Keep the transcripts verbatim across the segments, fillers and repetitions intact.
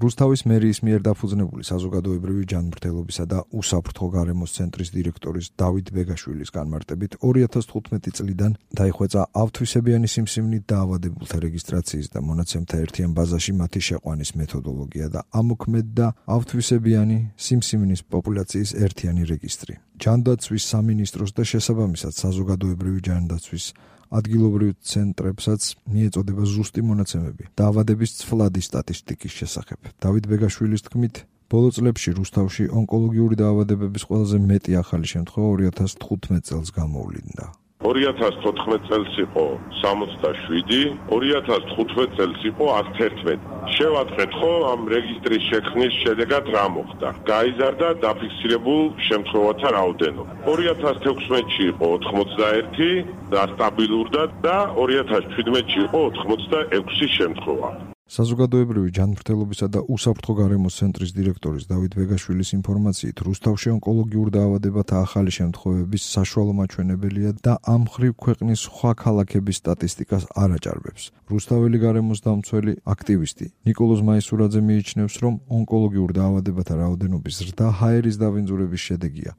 რუსთავის მერიის მიერ დაფუძნებული საზოგადოებრივი ჯანმრთელობისა და უსაფრთხო გარემოს ცენტრის დირექტორის დავით ბეგაშვილის განმარტებით ორი ათას თხუთმეტი წლიდან დაიხვეწა ავთვისებიანი სიმსივნით დაავადებულთა რეგისტრაციის და მონაცემთა ერთიან ბაზაში მათი შეყვანის მეთოდოლოგია და ამოქმედდა ავთვისებიანი სიმსივნის პოპულაციის ერთიანი რეგისტრი. ჯანდაცვის სამინისტროს და შესაბამისად საზოგადოებრივი ჯანდაცვის ადგილობრივ ცენტრებსაც მიეწოდება ზუსტი მონაცემები დაავადების ცვლადი სტატისტიკის შესახებ. დავით ბეგაშვილის თქმით, ბოლო წლებში რუსთავში ონკოლოგიური დაავადებების ყველაზე მეტი ახალი შემთხვევა ორი ათას თხუთმეტ წელს გამოვლინდა. ორი ათას თოთხმეტ წელს იყო სამოცდაშვიდი, ორი ათას თხუთმეტ წელს იყო ათს ერთმეტი. შევატყეთ ხო ამ რეგისტრის შექმნის შედეგად რა მოხდა? გაიზარდა დაფიქსირებულ შემთხვევათა რაოდენობა. ორი ათას თექვსმეტში იყო ოთხმოცდაერთი და სტაბილურდა და ორი ათას ჩვიდმეტში იყო ოთხმოცდაექვსი შემთხვევა. საზოგადოებრივი ჯანმრთელობისა და უსაფრთხო გარემოს ცენტრის დირექტორის დავით ბეგაშვილის ინფორმაციით, რუსთავში ონკოლოგიურ დაავადებათა ახალი შემთხვევების საშუალო მაჩვენებელია და ამ მხრივ ქვეყნის სხვა ქალაქების სტატისტიკას არ აჭარბებს. რუსთაველი გარემოს დამცველი აქტივისტი ნიკოლოზ მაისურაძე მიიჩნევს, რომ ონკოლოგიურ დაავადებათა რაოდენობის ზრდა ჰაერის დავინძურების შედეგია.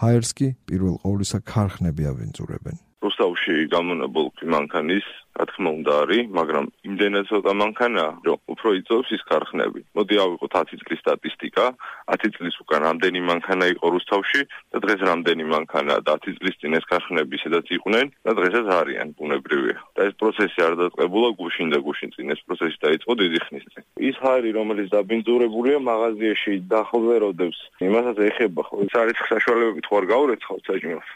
ჰაერს კი პირველ ყოვლისა ქარხნები ავინძურებენ. რუსთავში გამონებულ მანქანის რა თქმა უნდა არის, მაგრამ იმდენად ცოტა მანქანაა, რომ უფრო იწევს ის ქარხნები. მოდი ავიღოთ ათი წლის სტატისტიკა, ათი წლის უკან რამდენი მანქანა იყო რუსთავში და დღეს რამდენი მანქანაა და ათი წლის წინ ეს ქარხნები სადაც იყვნენ და დღესაც არიან, ბუნებრივია. და ეს პროცესი არ დაწყებულა გუშინ და გუშინ წინ, ეს პროცესი დაიწყო დიდი ხნის წინ. ის ჰაერი, რომელიც დაბინძურებულია მაღაზიაში და ახლოვეროდებს, იმასაც ეხება ხო, ეს არის საშუალებებით ხო არ გაურეცხავთ საჭმელს.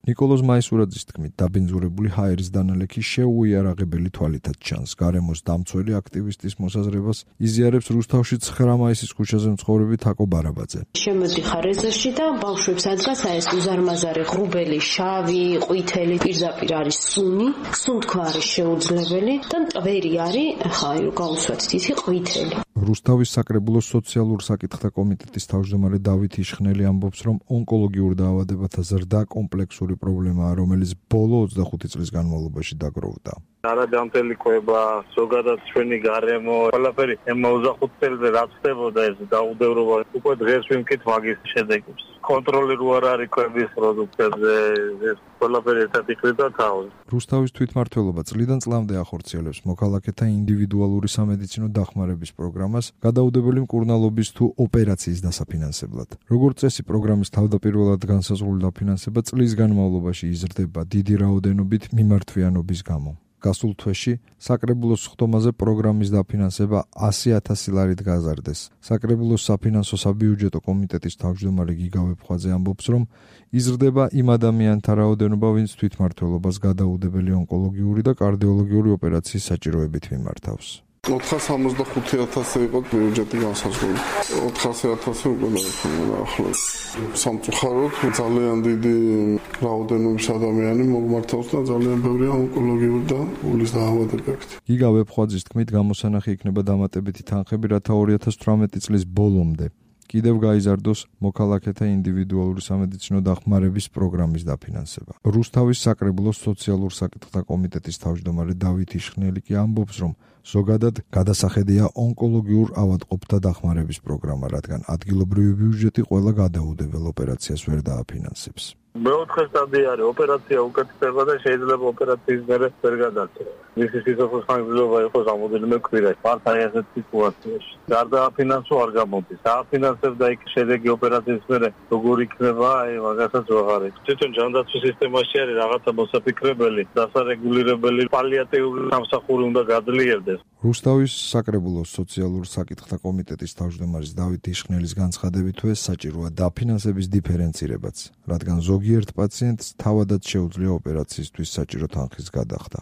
ნიკოლოზ მაისურაძის თქმით, დაბინძურებული ჰაერის დანალექი შეუიარაღებელი თვალითაც ჩანს. გარემოს დამცველი აქტივისტის მოსაზრებას იზიარებს რუსთავში ცხრა მაისის ქუჩაზე მცხოვრები თაკო ბარაბაძე. შემოდიხარ ეზოში და ბავშვებს ადგას აი ეს უზარმაზარი ღრუბელი, შავი, ყვითელი, პირდაპირ არის სუნი, სუნთქვა არის შეუძლებელი და მტვერი არის, ხა აი გაუსვათ თითი ყვითელი. რუსთავის საკრებულოს სოციალურ საკითხთა კომიტეტის თავმჯდომარე დავით იშხნელი ამბობს, რომ ონკოლოგიურ დაავადებათა ზრდა კომპლექსური პრობლემაა, რომელიც ბოლო ოცდახუთი წლის განმავლობაში დაგროვდა. არადამტელიკოება, ზოგადად ჩვენი გარემო, ყველაფერი ამ ოცდახუთ წელზე რაც ხდებოდა ეს დაუდევრობა, უკვე დღეს ვიმკით მაგის შედეგებს. კონტროლი რო არ არის კვების პროდუქტებზე, ეს ყველაფერი ერთად იყვება თავს. რუსთავის თვითმმართველობა წლიდან წლამდე ახორციელებს მოქალაქეთა ინდივიდუალური სამედიცინო დახმარების პროგრამას, გადაუდებელი მკურნალობის თუ ოპერაციის დასაფინანსებლად. როგორც წესი, პროგრამის თავდაპირველად განსაზღვრული დაფინანსება წლის განმავლობაში იზრდება დიდი რაოდენობით მიმართვიანობის გამო. გასულ თვეში საკრებულოს ხდომაზე პროგრამის დაფინანსება ასი ათასი ლარით გაზარდეს. საკრებულოს საფინანსო საბიუჯეტო კომიტეტის თავმჯდომარე გიგა ვეფხვაძე ამბობს, რომ იზრდება იმ ადამიანთა რაოდენობა, ვინც თვითმმართველობას გადაუდებელი ონკოლოგიური და კარდიოლოგიური ოპერაციის საჭიროებით მიმართავს. ოთხას ორმოცდახუთი ათასი იყო ბიუჯეტი განსაზღვრული. ოთხასი ათასი უკვე დაიხმარა ახლა. სამწუხაროდ ძალიან დიდი რაოდენობის ადამიანი მოგმართავს და ძალიან ბევრია ონკოლოგიური და ულის დაავადებებით. გიგა ვეფხვაძის თქმით, გამოსანახი იქნება დამატებითი თანხები, რათა ორი ათას თვრამეტი წლის ბოლომდე კიდევ გაიზარდოს მოქალაქეთა ინდივიდუალური სამედიცინო დახმარების პროგრამის დაფინანსება. რუსთავის საკრებულოს სოციალურ საკითხთა კომიტეტის თავმჯდომარე დავით იშხნელი კი ამბობს, რომ ზოგადად გადასახედია ონკოლოგიურ ავადმყოფთა დახმარების პროგრამა, რადგან ადგილობრივი ბიუჯეტი ყველა გადაუდებელ ოპერაციას ვერ დააფინანსებს. მეოთხე სტადია არის ოპერაცია უკეთდება და შეიძლება ოპერაციის მერე ვერ გადაწერა. მისი სიცოცხლის ხანგრძლივობა იყოს რამოდენიმე კვირა. მართ აი ასეთ სიტუაციაში. გარდა აფინანსო არ გამოდის. ააფინანსებ და იქ შედეგი ოპერაციის მერე როგორ იქნება, აი მაგასაც ვაღარ იქ. თვითონ ჯანდაცვის სისტემაში არის რაღაცა მოსაფიქრებელი, დასარეგულირებელი პალიატიური სამსახური უნდა გაძლიერდეს. რუსთავის საკრებულოს სოციალურ საკითხთა კომიტეტის თავმჯდომარის დავით იშხნელის განცხადებით, ეს საჭიროა დაფინანსების დიფერენცირებაც, რადგან ზოგიერთ პაციენტს თავადაც შეუძლია ოპერაციისთვის საჭირო თანხის გადახდა.